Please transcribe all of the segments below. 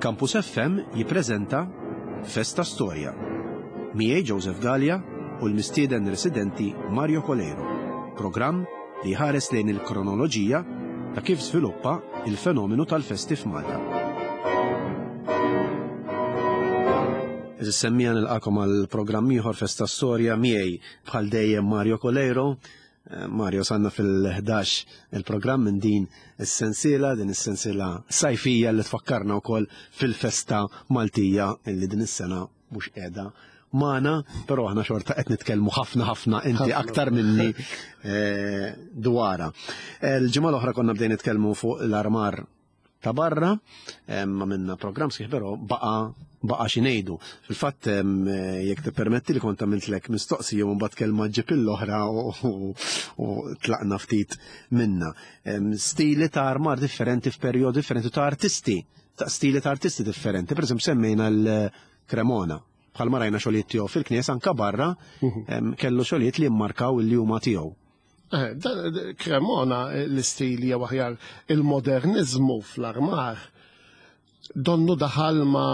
Campus FM jippreżenta Festa Storja. Miegħi Joseph Galea u l-mistieden residenti Mario Coleiro. Programm li jħares lejn il-kronoloġija ta' kif żviluppa il-fenomenu tal-festi f'Malta. Semmija nilqakom għal programm ieħor Festa Storja miegħi bħal dejjem Mario Coleiro. Eh, Mario sanna fil-11 il-programm minn din is-sensiela, din is-sensiela sajfija li tfakkarna wkoll fil-festa Maltija li din is-sena mhux qiegħda magħna, però aħna xorta qed nitkellmu ħafna ħafna inti aktar minni eh, dwara. Eh, l-ġimgħa l-oħra konna bdejn nitkellmu fuq l-armar ta' barra, eh, ma minna programm sħiħ però baqa baqa xi ngħidu. Fil-fatt jekk tippermetti li kont għamiltlek mistoqsija u mbagħad kelma ġib l-oħra u tlaqna ftit minna. Stili ta' armar differenti f'perjodi differenti ta' artisti, ta' stili ta' artisti differenti. Per eżempju semmejna l-Cremona. Bħalma rajna xogħlijiet tiegħu fil-knies anka barra mhm. kellu xogħlijiet li mmarkaw li huma tiegħu. Eh, Cremona eh, l-istil jew aħjar il-modernizmu fl-armar donnu daħal ma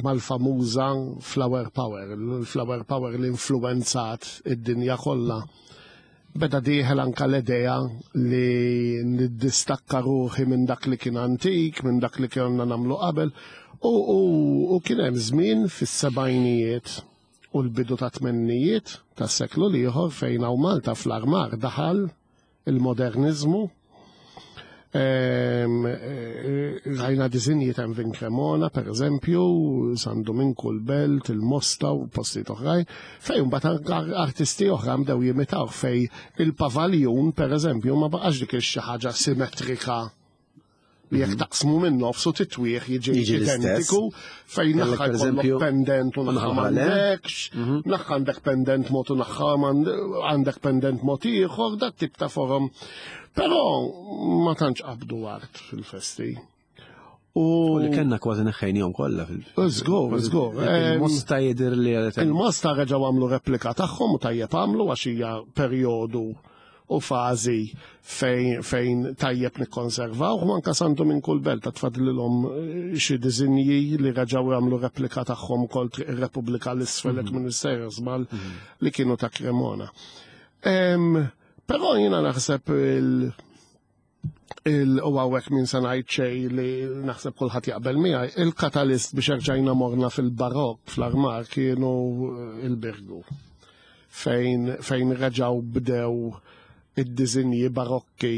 mal-famuża flower power, il-flower power li influenzat id-dinja kollha. Beda dieħel anka l-idea li niddistakka ruħi minn dak li kien antik, minn dak li konna nagħmlu qabel, u, u, u kien hemm żmien fis-sebgħinijiet u l-bidu ta' tmennijiet tas-seklu l-ieħor fejn hawn Malta fl-armar daħal il-moderniżmu. Ehm, eh, rajna disinji ta' Vin Cremona, per eżempju, San Dominku l-Belt, il-Mosta u postijiet oħrajn, fej mbagħad artisti oħra bdew jimitaw fej il-pavaljun, per eżempju, ma baqax dik xi ħaġa simetrika li jekk mhm. taqsmu minn nofsu titwieħ jiġi identiku fejn naħħa jkollok pendent u naħħa m'għandekx, mhm. naħħa għandek pendent mod u naħħa għandek pendent mod ieħor, dat tip ta' forom. Però ma tantx qabdu art fil-festi. U li kellna kważi neħħejnihom kollha fil. Żgur, żgur. Il-mosta jidher li Il-mosta reġgħu għamlu replika tagħhom u tajjeb għamlu għax hija perjodu u fażi fejn, fejn tajjeb nikkonservaw, u anka santu minn kull belt ta' tfadlilhom eh, xi diżinji li reġgħu jagħmlu replika tagħhom ukoll Triq ir-Repubblika l-isfel mm -hmm. minn żball mhm. li kienu ta' Cremona. Però jiena naħseb il- il u għawek minn se ngħid xejn li naħseb kulħadd jaqbel miegħi, il-katalist biex erġajna morna fil-barok fl-armar kienu eh, il-Birgu. Fejn, fejn reġaw bdew id-dizinji barokki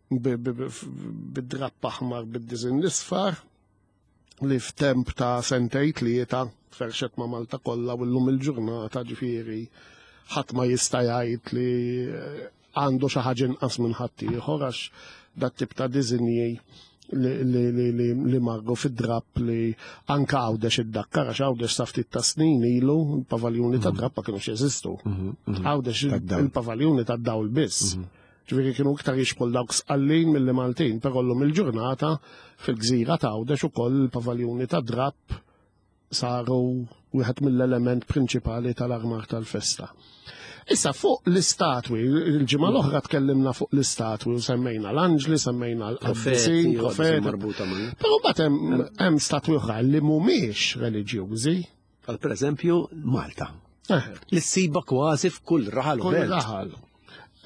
bid-drapp aħmar bid-diżinn l-isfar li f'temp ta' sentej tlieta ferxet ma' Malta kollha u llum il-ġurnata ġifieri ħadd ma jista' jgħid li eh, għandu xi ħaġa inqas minn ħaddieħor għax dat tip ta' diżinji li, li, li, li, li marru fid-drapp li anka għawdex id-dakkar għax għawdex sa ftit ta' snin ilu il-pavaljuni ta' mhm. drapp ma kienux jeżistu. Mhm, mhm. Għawdex il-pavaljuni ta' dawl biss. Ġifieri kienu iktar jixbħu dawk Sqallin milli Maltin, però llum il-ġurnata fil-gżira ta' Għawdex ukoll il-pavaljuni ta' drapp saru wieħed mill-element prinċipali tal-armar tal-festa. Issa fuq l-istatwi, il-ġimgħa l-oħra tkellimna fuq l-istatwi u semmejna l-anġli, semmejna l-qaddisin, profeti. Però mbagħad hemm statwi oħra li mhumiex reliġjużi, Bħal per eżempju Malta. Eh. Li ssiba kważi f'kull raħal. Kull raħal.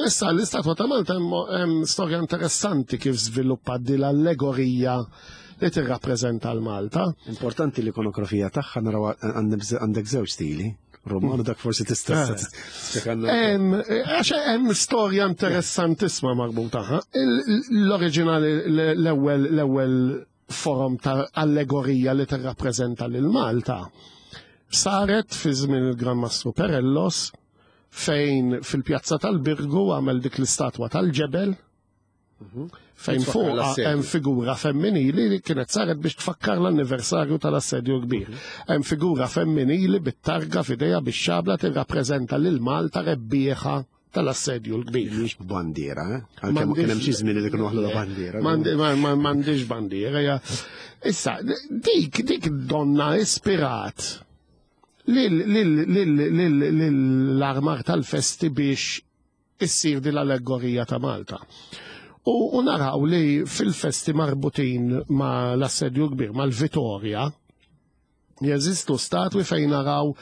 Issa l-istatwa ta' Malta hemm storja interessanti kif żviluppat din l-allegorija li tirrappreżenta l-Malta. Importanti l-ikonografija tagħha naraw għandek żewġ stili. Romano dak forsi tista' eh. Għax hemm storja interessantissima marbuta. L-oriġinali l-ewwel l-ewwel forom ta' allegorija li tirrappreżenta lil Malta saret fi żmien il-Gran Mastru Perellos fejn fil-pjazza tal-Birgu għamel dik l-istatwa tal-ġebel mhm. fejn fuq hemm figura femminili li kienet saret biex tfakkar l-anniversarju tal-assedju kbir. Mhm. Hemm figura femminili bit-targa f'idejha bix-xabla tirrappreżenta lil Malta rebbieħa tal-assedju l-kbir. Mhix b'bandiera, eh? Għalkemm kien hemm xi żmien li kienu waħlu bandiera. M'għandix bandiera, ja. Issa, dik dik donna ispirat l-armar tal-festi biex issir din l-allegorija ta' Malta. U naraw li fil-festi marbutin ma l-assedju kbir, mal-Vitorja, jeżistu statwi fejn naraw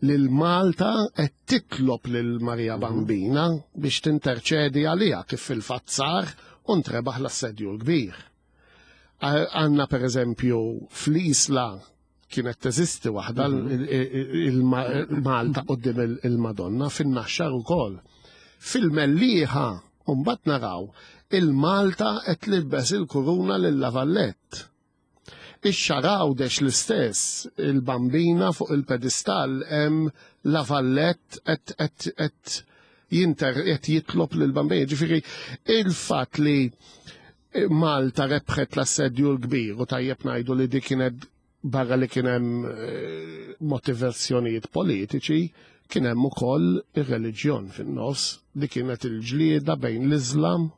lil Malta qed titlob lil Marija Bambina biex tinterċedi għaliha kif fil-fatt sar u ntrebaħ l-assedju l-kbir. Għandna per eżempju fl-Isla kienet teżisti waħda il-Malta quddiem il-Madonna fin-Naxxar ukoll. Fil-Mellieħa mbagħad naraw il-Malta qed tlibbes il-kuruna lil La Vallette. Ix-Xagħra Għawdex l-istess, il-Bambina fuq il-pedestall hemm La Vallette qed jinter qed jitlob lill-Bambina. Ġifieri il-fatt li Malta rebħet l-assedju l-kbir u tajjeb ngħidu li dik kienet barra li kien hemm motivazzjonijiet politiċi, kien hemm ukoll ir-reliġjon fin-nofs li kienet il-ġlieda bejn l-Iżlam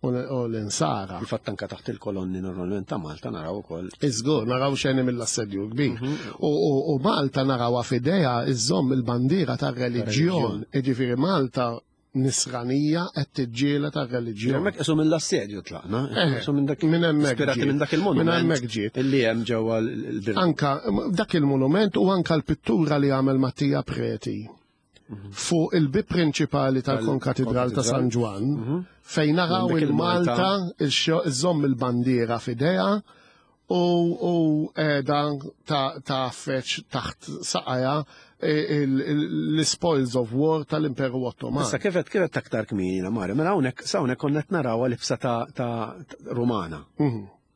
u l-Insara. Infatti anka taħt il-kolonni normalment ta' Malta naraw ukoll. Iżgur, naraw xeni mill-assedju kbir. U Malta narawha f'idejha iżżomm il-bandiera tar-reliġjon. Jiġifieri Malta nisranija qed tiġġieled għar-reliġjon. Hemmhekk qisu mill-assedju tlaqna. Qisu minn dak minn hemmhekk ispirati minn dak il-monument. Minn hemmhekk ġiet. Illi hemm ġewwa l-bir. Anka dak il-monument u anka l-pittura li għamel Mattia Preti fuq il-bib prinċipali tal-Konkatidral ta' San Ġwann fejn naraw il-Malta iżżomm il-bandiera f'idejha u qiegħda tgħaffeġ taħt saqajha l-spoils of war tal-Imperu Ottoman. Issa kif qed aktar kmieni Mario, mela hawnhekk sa hawnhekk konna qed narawha libsa ta' Rumana.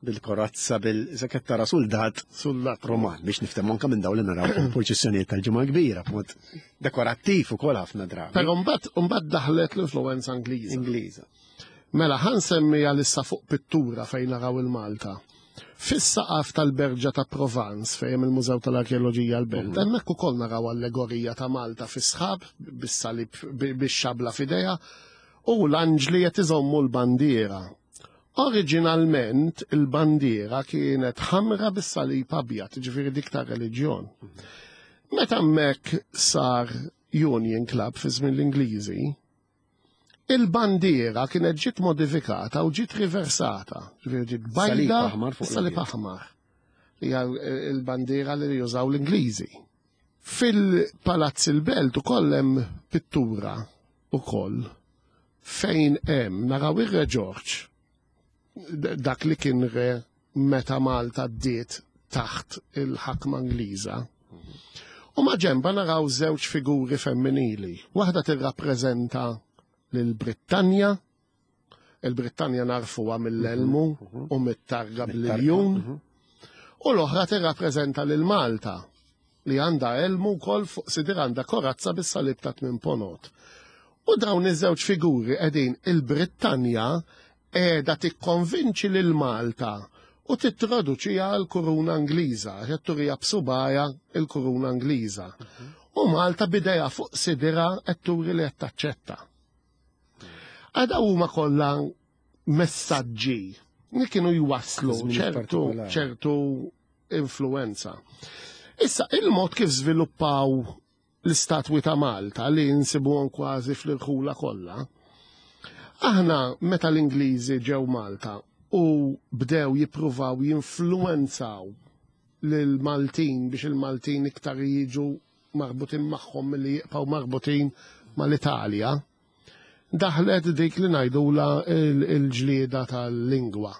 Bil-korazza, bil qed tara suldat Suldat Roman biex niftehmu anke minn dawn li naraw fil-purċissjonijiet tal-Ġimgħa Kbira b'mod dekorattiv ukoll ħafna drabi. Però mbagħad daħlet l-influenza Ingliża. Ingliża. Mela ħa nsemmi għalissa fuq pittura fejn naraw il-Malta. Fis-saqaf tal-Berġa ta' Provence fejn hemm il-Mużew tal-Arkeoloġija l-Belt, hemmhekk ukoll naraw allegorija ta' Malta fis-sħab bis-salib bix-xabla f'idejha u l-anġli qed iżommu l-bandiera. Oriġinalment il-bandiera kienet ħamra bis-salib abjad, ġifieri dik ta' reliġjon. Meta hemmhekk sar Union Club fi żmien l-Ingliżi, il-bandiera kienet ġiet modifikata u ġiet riversata, ġifieri ġiet bajda Salib aħmar fuq salib l-abjad. aħmar. Hija l-bandiera li jużaw l-Ingliżi. Fil-Palazz il-Belt ukoll hemm pittura ukoll fejn hemm naraw ir-Re George, dak li kien re meta Malta ddiet taħt il-ħakma Ingliża. U ma ġemba naraw żewġ figuri femminili. Waħda tirrappreżenta lil Brittanja, il-Brittanja narfuha mill-elmu u mit-targa bl-iljun, u l-oħra tirrappreżenta lil Malta li għandha elmu wkoll fuq sidir għandha korazza bis-salib ta' tmien ponot. U dawn iż-żewġ figuri qegħdin il-Brittanja qiegħda tikkonvinċi lil Malta u tittraduċiha l-kuruna Ingliża, qed turija b'subgħajha il-kuruna Ingliża. U Malta bidejha fuq sidira qed turi li qed taċċetta. Għada huma kollha messaġġi li kienu jwasslu Żmien partikolari. ċertu influenza. Issa, il-mod kif żviluppaw l-istatwi ta' Malta li nsibuhom kważi fl-irħula kollha, aħna meta l-Ingliżi ġew Malta u bdew jippruvaw jinfluenzaw lil-Maltin biex il-Maltin iktar jiġu marbutin magħhom milli jibqgħu marbutin mal-Italja, daħlet dik li ngħidula il-ġlieda tal-lingwa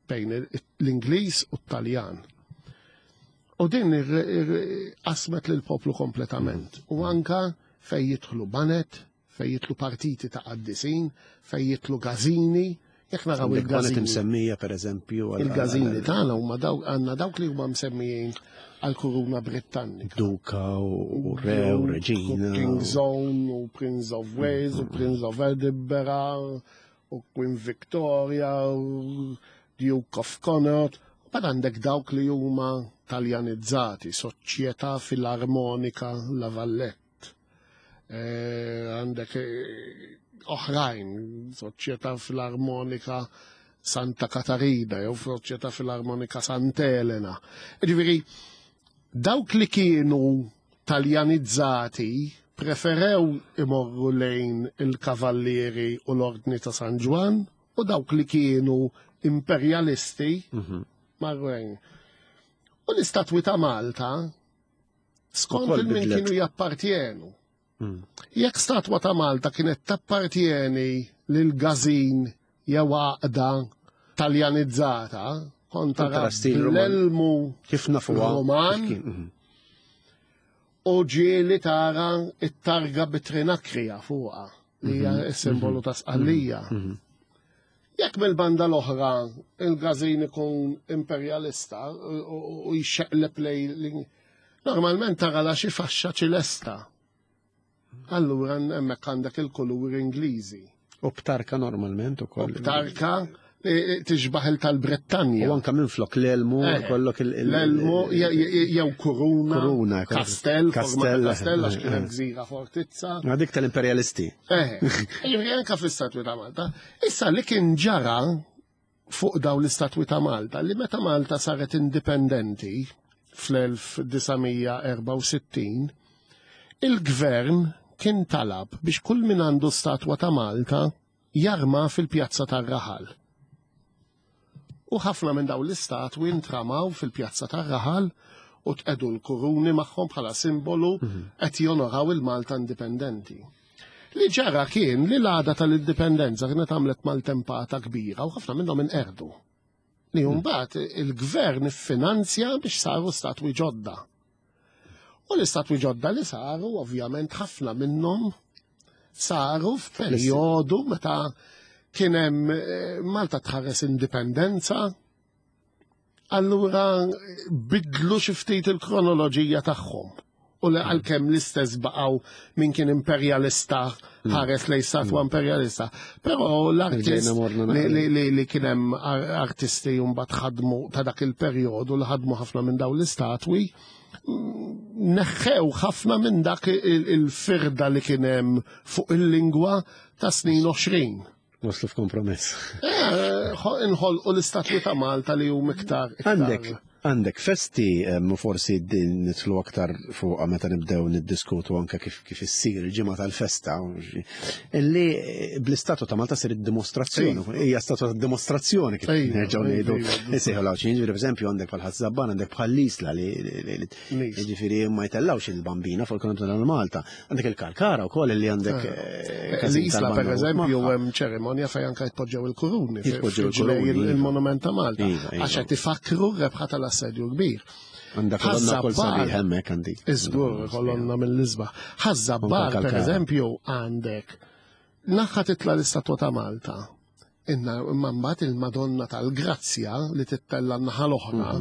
bejn l-Ingliż u t-Taljan. U din qasmet lill-poplu kompletament. U anka fej jidħlu banet, fej jidħlu partiti ta' qaddisin, fej jidħlu gazini, jekk naraw Għandek banet il-gazini. imsemmija, per eżempju, Il-gazini tagħna huma dawk, għandna dawk li huma msemmijin għall-Kuruna Britannika. Duka u Re u Reġina. King's Own u Prince of Wales u Prince of Edinburgh u Queen Victoria u Duke of Connaught. Bad għandek dawk li huma taljanizzati, Soċjetà Filarmonika La Vallette. Għandek oħrajn, Soċjetà Filarmonika Santa Katarina jew Soċjetà Filarmonika Santa Elena. Ġifieri, dawk li kienu taljanizzati preferew imorru lejn il-Kavallieri u l-Ordni ta' San Ġwann U dawk li kienu imperjalisti marru hemm. U l-istatwi ta' Malta skont Ukoll il-min bidlet. kienu jappartjenu. Jekk statwa ta' Malta kienet tappartjeni lil gazin jew għaqda taljanizzata, kont tara Kontra stil Roman. l-elmu Kif nafuha? Roman. Kif kien, u ġieli tara it-targa bit-trinakrija fuqha li hija s-simbolu ta' Sqallija. Jekk mill-banda l-oħra il-gazin ikun imperjalista u jxeqleb lej normalment tara la xi faxxa ċilesta. Allura hemmhekk għandek il-kuluri Ingliżi. U b'tarka normalment ukoll. Tarka tixbaħ il tal-Brittanja. U anka minflok l-elmu, kollok L-elmu jew kuruna, Kuruna, kastell, forma ta' kastell, kastell għax kienet eh. gżira fortizza. Ma dik tal-imperjalisti. Jiġifieri anka fl-istatwi ta' Malta. Issa li kien ġara fuq dawn l-istatwi ta' Malta, li meta Malta saret indipendenti fl-1964, il-gvern kien talab biex kull min għandu statwa ta' Malta jarma fil-pjazza tar-raħal. U ħafna minn dawn l-istatwi ntramaw fil-pjazza tar-raħal u tqedu l-kuruni magħhom bħala simbolu qed jonoraw il-Malta indipendenti. Li ġara kien li l-għada tal-indipendenza kienet għamlet maltempata kbira u ħafna minnhom inqerdu. Li mbagħad il-gvern iffinanzja biex saru statwi ġodda. U l-istatwi ġodda li saru, ovvjament ħafna minnhom saru f'perjodu meta kien hemm Malta tħares indipendenza. Allura bidlu xi ftit il-kronoloġija tagħhom. U li għalkemm l-istess baqgħu min kien imperjalista ħares lejn statwa imperjalista. Però l-artist Ġejna morna li, naqra. li kien hemm artisti mbagħad ħadmu ta' dak il-perjodu li ħadmu ħafna minn dawn l-istatwi, neħħew ħafna minn dak il-firda li kien hemm fuq il-lingwa ta' snin 20. Waslu f'kompromess. Inħolqu l-istatwi ta' Malta li hum iktar. Għandek festi, forsi din nidħlu aktar fuqha meta nibdew niddiskutu anke kif issir il-ġimgħa tal-festa, illi bl-istatwa ta' Malta sir id-dimostrazzjoni. Hija statwa ta' dimostrazzjoni kif nerġgħu ngħidu. Isejħu l-Għawdxin, jiġifieri pereżempju għandek bħal Ħaż-Żabbar, għandek bħal l-Isla li jiġifieri ma jtellgħux il-bambina fuq il-Kolonna ta' Malta. Għandek il-Kalkara wkoll li għandek, każin L-Isla, tal-banda per eżempju, magħha. hemm ċerimonja fejn anke jitpoġġew il-kuruni Jitpoġġew fil-ġlej il-kuruni, iva. il-monument ta' Malta. Iva, iva. Għax qed ifakru r-rebħa tal-assedju kbir. Għandha kolonna wkoll Ħaż-Żabbar. sabiħ hemmhekk għandi. Iżgur, kolonna mill-isbaħ. Ħaż-Żabbar, Anke per Kalkara. eżempju, għandek naħa titla l-istatwa ta' Malta. Inna imma mbagħad il-Madonna tal-Grazzja li tittella n-naħa l-oħra.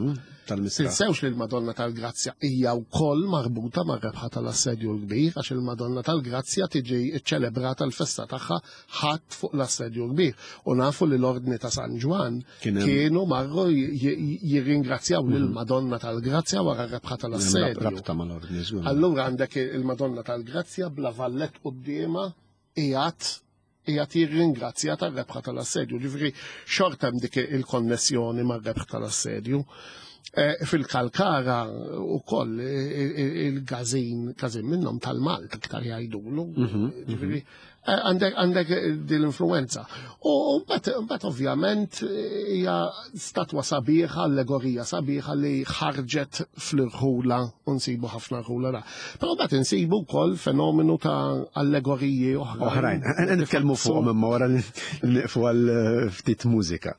Tal-Misra. Tinsewx li l-Madonna tal-Grazzja hija wkoll marbuta mar-rebħa tal-Assedju l-Kbir, għax il-Madonna tal-Grazzja tiġi ċċelebrata l-festa tagħha ħadd fuq l-Assedju l-Kbir. U nafu li l-Ordni ta' San Ġwann Kien hemm kienu marru jirringrazzjaw lill-Madonna tal-Grazzja wara r-rebħa tal-Assedju. Rabta mal-Ordni, żgur. Allura għandek il-Madonna tal-Grazzja bla vallet quddiemha qiegħed jirringrazzja tar-rebħa tal-assedju. Ġifieri xorta hemm dik il-konnessjoni mar-rebħ tal-assedju. Fil-Kalkara ukoll il-gazin, gazin minnhom tal-Malta iktar jgħidulu. Ġifieri, għandek din l-influenza. U mbagħad ovvjament hija statwa sabiħa, allegorija sabiħa li ħarġet fl-irħula u nsibu ħafna rħula da. Però mbagħad insibu wkoll fenomenu ta' allegoriji oħrajn. Oħrajn. Nitkellmu fuqhom imma wara li nieqfu għal ftit mużika.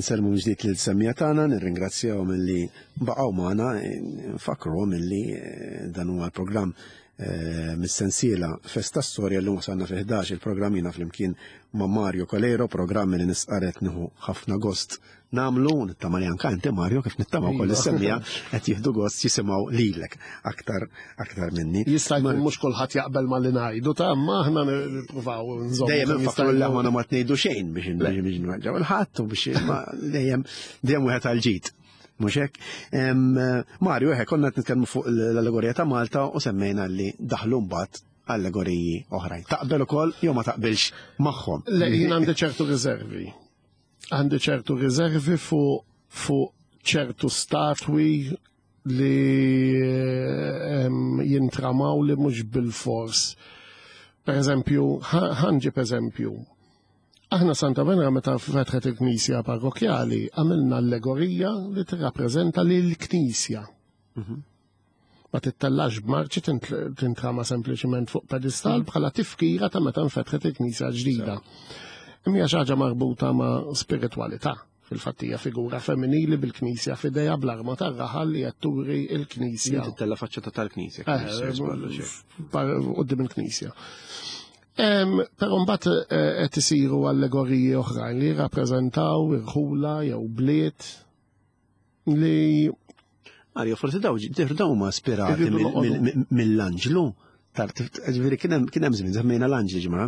Insellmu ġdid lil semmija tagħna, nirringrazzjahom illi baqgħu magħna, nfakruhom illi dan huwa l-programm eh, mis-sensiela Festa Storja l wasalna fi 11 il-programm jiena flimkien ma' Mario Calero, programm li nisqaret nieħu ħafna gost namlu, nittama li anka inti Mario kif nittama wkoll Iva. is-semmija qed jieħdu gost jisimgħu lilek aktar aktar minni. Jista' jkun mhux kulħadd jaqbel ma li ngħidu ta' imma aħna nippruvaw nżommu. Dejjem kemm nfakru jista' li aħna ma tnejdu xejn biex biex nweġġaw il-ħadd u biex ma dejjem dejjem wieħed għal ġid. Mhux hekk? Mario, eħe, konna qed nitkellmu fuq l-allegorija ta' Malta u semmejna li daħlu mbagħad allegoriji oħrajn. Taqbel ukoll jew ma taqbilx magħhom. Le, jien għandi ċertu riservi. Għandi ċertu riservi fuq fu ċertu statwi li jintramaw li mhux bil-fors. Per eżempju, ħanġib eżempju. Aħna Santa Venera meta fetħet il-Knisja parrokjali għamilna allegorija li tirrappreżenta lil knisja. Ma tittellax b'marċi tintrama sempliċement fuq pedestal bħala tifkira ta' meta nfetħet il-Knisja ġdida. Imma hija xi ħaġa marbuta ma' spiritualità. Fil-fatt hija figura femminili bil-Knisja f'idejha bl-arma tar-raħal li qed turi l-Knisja. Tittella faċċata tal-Knisja. Quddiem il-Knisja. Però mbagħad qed isiru allegoriji oħrajn li jirrappreżentaw irħula jew bliet li Mario, forsi daw daw huma ispirati Irridu noqogħdu. mill-anġlu. Ġifieri kien hemm żmien semmejna l-anġli ġimgħa.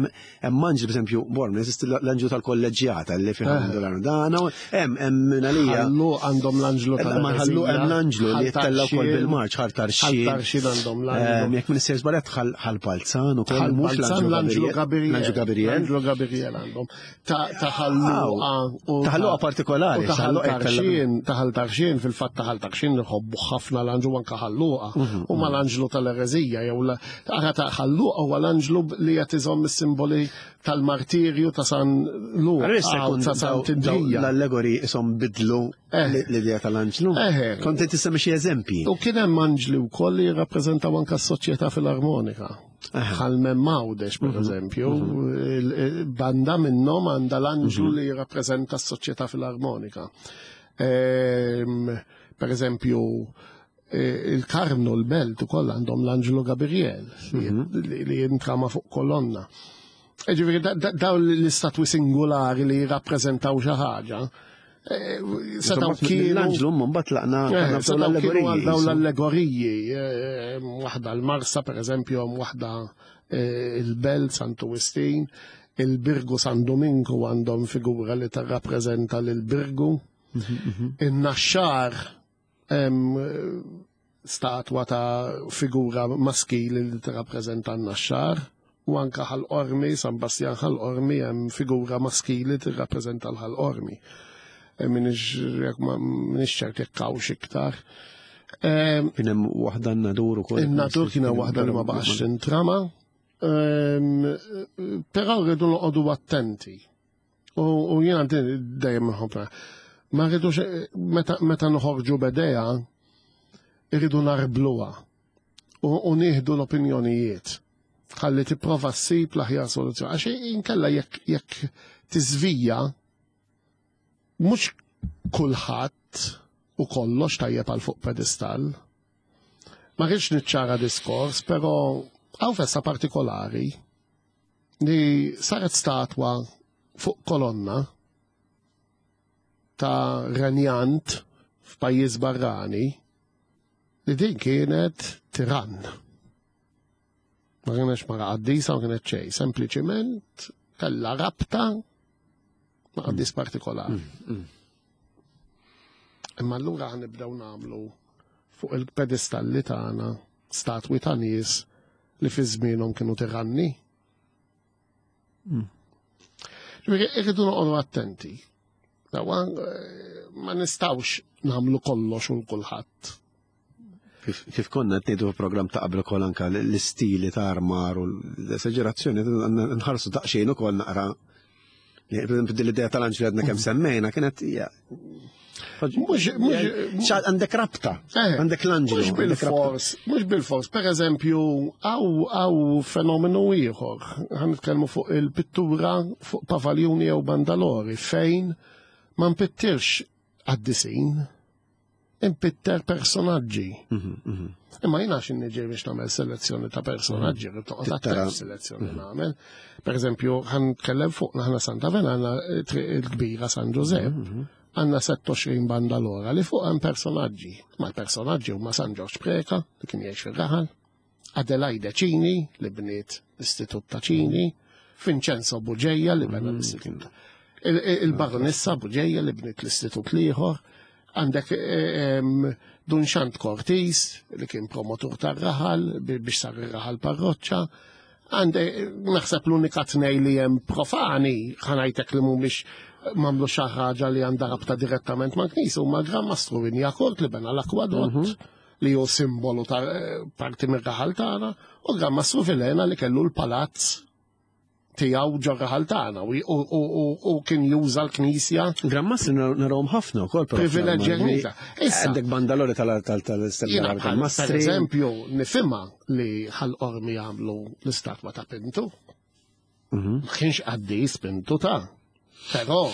Hemm anġli pereżempju Borm, jeżisti l-anġlu tal-kolleġġjata li fih għandu l-dana, hemm hemm minn għalija. ħallu għandhom l-anġlu tal Ma ħallu hemm l-anġlu li jittella wkoll bil-marċ ħal tarxin. Ħal tarxin għandhom l-anġlu. Jekk minn sejr żbaljat ħal palzan ukoll Ħal mhux Balzan l-anġlu Gabriel. L-anġlu Gabriel. L-anġlu Gabriel għandhom. Ta' ħalluqa. u Ta' ħalluqa partikolari, U ta' ħalluqa jittella- ħal-tarxin, ta' ħal-tarxin, fil-fatt ta' ħal-tarxin nħobbu ħafna l-anġlu anka ħalluqa. U ma l-anġlu tal-erezija, jew la- ara ta' ħalluqa huwa l-anġlu li qed iżomm is-simboli tal-martirju ta' San Luqa Allora jista' u jkun ta' San daw- daw Tindrija. l-allegori isom bidlu l-idea tal-anġlu. Kont qed tissemmi xi eżempji. U kien hemm anġli wkoll li jirrappreżentaw anke s-soċjetà filarmonika. Bħal Mawdex, per eżempju, banda minnhom għandha l-anġlu li jirrappreżenta s-soċjetà filarmonika. Per eżempju, il-Karmnu l-Belt ukoll għandhom l-anġlu Gabriel li jintrama fuq kolonna. Ġifieri dawn l-istatwi singolari li jirrappreżentaw xi ħaġa. Setgħu kienu L-anġlu mbagħad tlaqna tlaqna f'dawn Setgħu kienu għal l-allegoriji. dawn l-allegoriji, waħda l-Marsa per eżempju, hemm waħda il-Belt Santu Wistin, il-Birgu San Dominku għandhom figura li tarrappreżenta lil Birgu, in-Naxxar hemm statwa ta' figura maskili li tirrappreżenta n-Naxxar, u anka Ħal Qormi, San Bastjan Ħal Qormi hemm figura maskili tirrappreżenta l-Ħal Qormi. Minix ċert jekk hawnx iktar. Kien hemm waħda n-nadur ukoll. In-nadur kien hemm waħda li ma baqax tintrama. Però rridu noqogħdu attenti. U jiena din dejjem nħobbha. Ma rridux meta noħorġu b'idea, irridu narbluha u nieħdu l-opinjonijiet. Ħalli tipprova ssib l-aħjar soluzzjoni. Għax inkella jekk tiżvija mhux kulħadd u kollox tajjeb għal fuq pedestal. Ma rridx niċċara diskors, però hawn festa partikolari li saret statwa fuq kolonna ta' renjant f'pajjiż barrani li din kienet tirann. Ma kienx mara qaddisa, ma kienet xejn, sempliċiment kellha rabta ma' qaddis partikolari. Imma allura ħanibdew nagħmlu fuq il-pedestalli tagħna statwi ta' nies li fi żmienhom kienu tiranni. Ġifieri irridu noqogħdu attenti. Dawa, ma nistgħux nagħmlu kollox u kulħadd. Kif konna qed ngħidu fil-programm ta' qabel ukoll anka l-istili ta' armar u l-esagerazzjoni nħarsu daqsxejn ukoll naqra. Per eżempju, din l-idea tal-anġli għadna kemm semmejna kienet hija Għandek rabta, għandek l-anġlu. Mhux bil-fors, mhux bil-fors. Per eżempju, hawn fenomenu ieħor. Ħa nitkellmu fuq il-pittura fuq pavaljuni jew bandalori fejn ma npittirx qaddisin. impitter personaġġi. Imma jiena xi niġi biex nagħmel selezzjoni ta' personaġġi, rrid noqgħod Tittara. attent selezzjoni nagħmel. Per eżempju, ħa nitkellem fuq aħna Santa Vena għandna triq il-kbira San Ġużepp, għandna 26 bandalora li fuq hemm personaġġi. Ma l-personaġġi huma San Ġorġ Preka li kien jgħix fir-raħal, Adelaide Cini li bniet l-Istitut ta' Cini, Vincenzo Buġeja li bena l-Istitut. Il-Baronessa Buġeja li bniet l-Istitut l-ieħor, għandek Dun Xant Cortis li kien promotur tar-raħal biex sar ir-raħal parroċċa. Għandek naħseb l-unika tnej li hemm profani ħa ngħidlek li mhumiex m'għamlu xi ħaġa li għandha rabta direttament mal-Knisja huma Gran Mastru Wignacourt li bena l-akwadott li hu simbolu ta' parti mir-raħal tagħna u Gran Mastru Vilhena li kellu l-palazz tiegħu ġo raħal tagħna u kien juża l-Knisja. Gran Mastri narawhom ħafna wkoll. però Privileġġi fl-armar. Knisja. Issa, Għandek bandalori tal-Stella jiena bħal, per tal-Mastri. eżempju, nifhimha li Ħal Qormi jagħmlu l-istatwa ta' Pintu. Ma kienx qaddis Pintu ta'. Però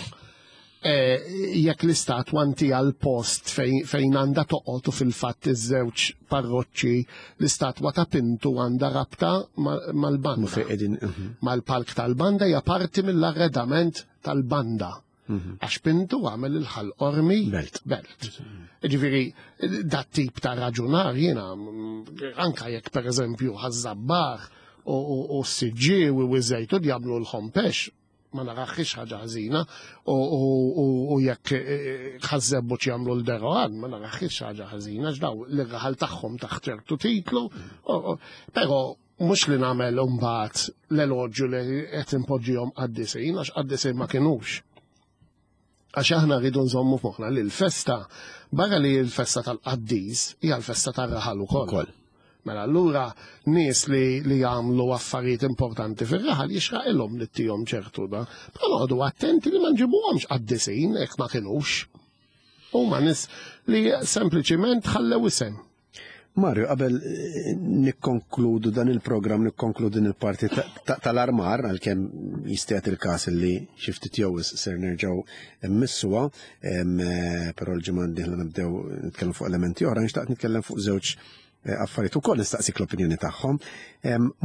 jekk l-istatwa inti għal post fejn għandha toqgħod u fil-fatt iż-żewġ parroċċi l-istatwa ta' Pintu għandha rabta mal-banda. Fejn qegħdin. Mal-palk tal-banda hija parti mill-arredament tal-banda. Għax Pintu għamel il-Ħal Qormi Belt. Belt. Ġifieri, dat tip ta' raġunar jiena, anka jekk per eżempju Ħaż-Żabbar u s-Siġġiewi u ż-Żejtun jagħmlu l-ħompex, ma naraħħiex ħaġa ħażina, u jekk Ħaż-Żebbuġ jagħmlu l-Deroan, ma naraħħiex ħaġa ħażina, x'daw l-raħal tagħhom taħt ċertu titlu, però mhux li nagħmel imbagħad l-eloġju li qed impoġġihom qaddisin, għax qaddisin ma kinux. Għax aħna rridu nżommu f'moħħna li l-festa, barra li l-festa tal-qaddis, hija l-festa tar-raħal ukoll. Ukoll. Mela allura nies li jagħmlu affarijiet importanti fir-raħal jixraqilhom li ttihom ċertu da. Però noqogħdu attenti li ma nġibuhomx qaddisin jekk ma kinux. Huma nies li sempliċiment ħallew isem. Mario, qabel nikkonkludu dan il-programm, nikkonkludu din il-parti tal-armar, għalkemm jista' il-każ li xi ftit jew ser nerġgħu mmissuha, però l-ġimgħa d-dieħla nibdew nitkellem fuq elementi oħra, nixtaq nitkellem fuq żewġ affarijiet ukoll nistaqsik l-opinjoni tagħhom.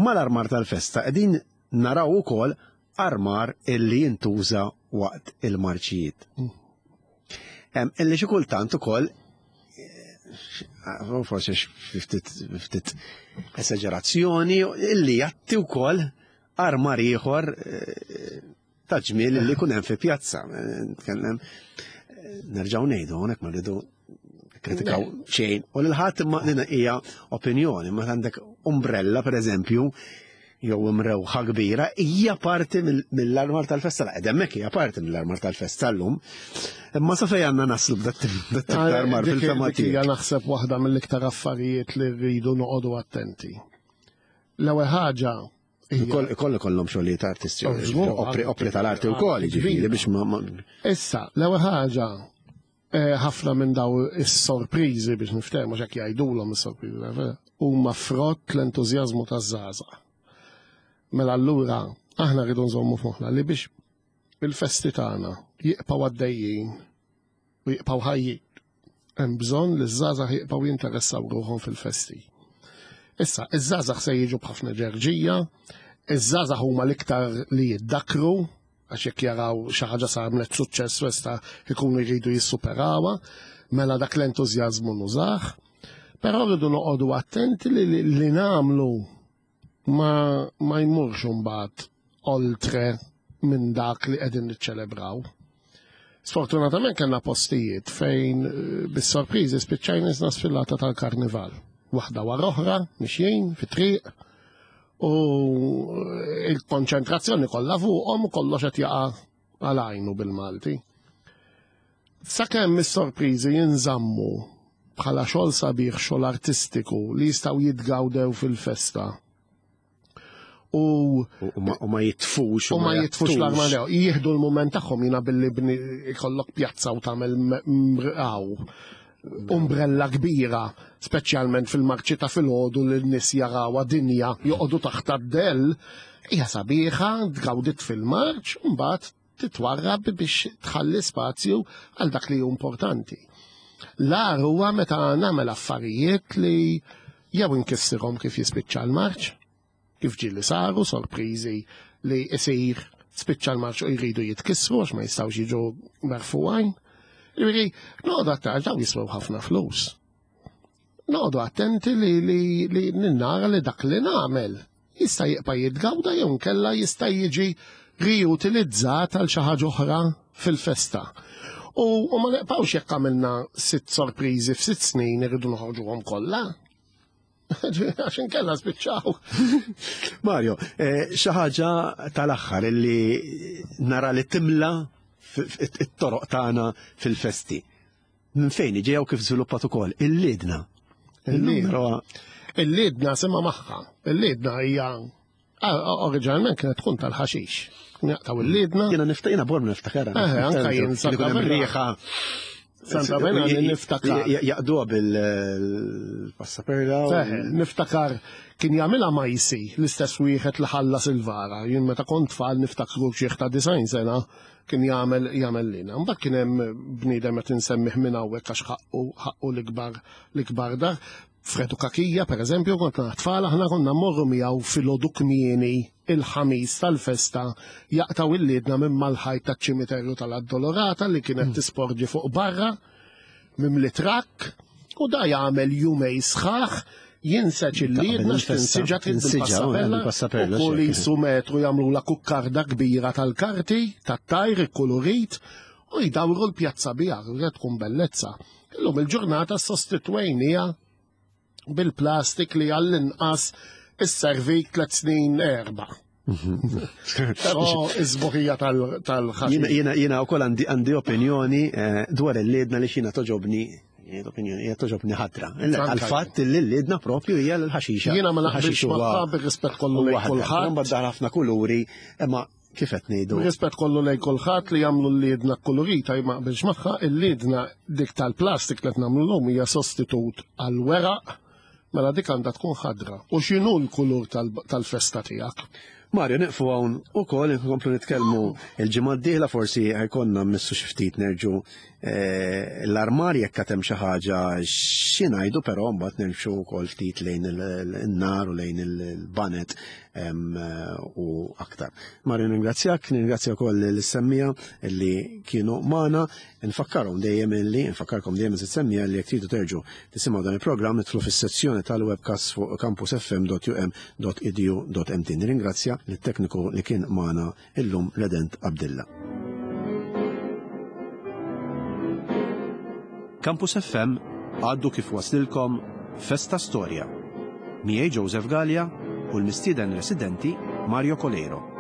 Mal-armar tal-festa qegħdin naraw ukoll armar illi jintuża waqt il-marċijiet. Illi xi kultant ukoll forsi ftit esagerazzjoni illi jatti wkoll armar ieħor ta' ġmiel illi jkun hemm fi pjazza. Nitkellem nerġgħu ngħidu hawnhekk ma rridu kritikaw xejn. U lil ħadd imma din hija opinjoni, ma għandek umbrella per eżempju, jew imrewħa kbira, hija parti mill-armar tal-festa. La, hemmhekk hija parti mill-armar tal-festa llum. Imma sa fejn għandna naslu b'dat tip ta' armar fil-fema Dik hija tiegħek? naħseb waħda mill-iktar affarijiet li rridu noqogħdu attenti. L-ewwel ħaġa Ikoll ikollhom xogħlijiet artistiċi, Oh, żgur, opri tal-arti wkoll, jiġifieri biex ma Issa, l-ewwel ħaġa ħafna minn daw is-sorpriżi biex niftehmu x'hekk jgħidulhom is-sorpriżi, huma frott l-entużjażmu taż-żgħażagħ. Mela allura aħna rridu nżommu f'moħħna li biex il-festi tagħna jibqgħu għaddejjin u jibqgħu ħajjin, hemm bżonn li ż-żgħażagħ jibqgħu jinteressaw ruħhom fil-festi. Issa, iż-żgħażagħ se jiġu b'ħafna ġerġija, iż-żgħażagħ huma l-iktar li jiddakru, għax jekk jaraw xi ħaġa għamlet suċċess festa ikunu jridu jissuperawha, mela dak l-entużjażmu nużah. Però rridu noqogħdu attenti li nagħmlu ma jmurx imbagħad oltre minn dak li qegħdin niċċelebraw. Sfortunatament kellna postijiet fejn bis-sorpriżi spiċċajna nisna sfilata tal-karnival. Waħda wara oħra, mixjin, fit-triq, u il-konċentrazzjoni kollha fuqhom u kollox qed jaqa' għal għajnu bil-Malti. Sakemm is-sorpriżi jinżammu bħala xogħol sabiħ, xogħol artistiku li jistgħu jitgawdew fil-festa. U U ma jitfux. U ma jitfux l-arma lew. Jieħdu l-moment tagħhom jiena billi bni ikollok pjazza u tagħmel mrqaw. Umbrella kbira, speċjalment fil-marċi ta' filgħodu li n-nies jarawha dinja joqogħdu taħt għad-dell, hija sabiħa, tgawdit fil-marċ, u mbagħad titwarrab biex tħalli spazju għal dak li hu importanti. L-agħar huwa meta nagħmel affarijiet li jew inkissirhom kif jispiċċa l-marċ, kif ġieli saru sorpriżi li isir spiċċa l-marċ u jridu jitkissru għax ma jistgħux jiġu merfugħin. Jiġifieri, noqgħod aktar dawn jiswew ħafna flus. Noqogħdu attenti li li li ninnara li dak li nagħmel jista' jibqa' jitgawda jew nkella jista' jiġi riutilizzat għal xi ħaġa oħra fil-festa. U, u ma neqpawx jekk għamilna sitt sorpriżi f'sitt snin irridu noħorġuhom kollha. Għax inkella spiċċaw. Mario, eh, xi ħaġa tal-aħħar illi nara li timla it-toroq tagħna fil-festi. Minn fejn ġew kif żviluppat ukoll il-lidna. Il-lidna. Il-lidna sema magħha. Il-lidna hija oriġinalment kienet tkun tal-ħaxix. Jaqtaw il-lidna. Jiena niftakar borm niftakar. Eh, anka jien riħa. Santa Bena niftakar. Jaqduha bil-passaperla. Niftakar kien jagħmilha majsi l-istess wieħed li ħallas il-vara. Jien meta kont tfal niftakru xi ta' design sena kien jagħmel jagħmel lina. Mbagħad kien hemm bniedem qed insemmih minn hawnhekk għax ħaqqu ħaqqu l-ikbar l-ikbar dar. Fredu Kakija, per eżempju, kont tfal aħna konna mmorru miegħu filgħodu kmieni il-ħamis tal-festa jaqtaw il-liedna minn mal-ħajt taċ-ċimiterju tal-Addolorata li kienet hmm. tisporġi fuq barra mimli trakk u da jagħmel jumej sħaħ jinseġ il-liedna x'tinsiġa trid bil-passapella u kull jisu metru jagħmlu la kukkarda kbira tal-karti tat-tajr ikkulurit u jdawru l-pjazza biha tkun bellezza. Illum il-ġurnata sostitwejnija bil-plastik li għall-inqas isservik tlet snin erba'. Però iż-żbuħija tal-ħaxix. Jiena jiena wkoll għandi għandi opinjoni eh, dwar il-liedna li xina toġobni opinjoni hija toġobni ħadra. Għal-fatt li l-liedna propju hija l-ħaxixa. Jiena ma naqbilx magħha bir-rispett kollu lejn kulħadd. Mbagħad ħafna kuluri, imma kif qed ngħidu. Rispett kollu lejn kulħadd li jagħmlu l-liedna kkulurita ma qbilx magħha, il-liedna dik tal-plastik li qed nagħmlu llum hija sostitut għall-weraq, mela dik għandha tkun ħadra. U x'inhu l-kulur tal-festa tiegħek? Mario, nieqfu hawn ukoll inkomplu nitkellmu il-ġimgħa d-dieħla forsi ħajkonna mmissu xi ftit nerġu eh, l-armar jekk għad hemm xi ħaġa xi ngħidu però mbagħad nimxu wkoll ftit lejn il-nar u lejn il-banet u aktar. Mario ningrazzjak, ningrazzja wkoll l-semmija li kienu magħna, nfakkarhom dejjem illi, nfakkarkom dejjem is-semmija li jekk tridu terġu tisimgħu dan il-programm idħlu fis-sezzjoni tal-webcast fuq campusfm.um.edu.mt. Nirringrazzja lit-tekniku li kien magħna illum Redent Abdilla. Campus FM għaddu kif waslilkom Festa Storja. Miegħi Joseph Gallia u l-mistieden residenti Mario Coleiro.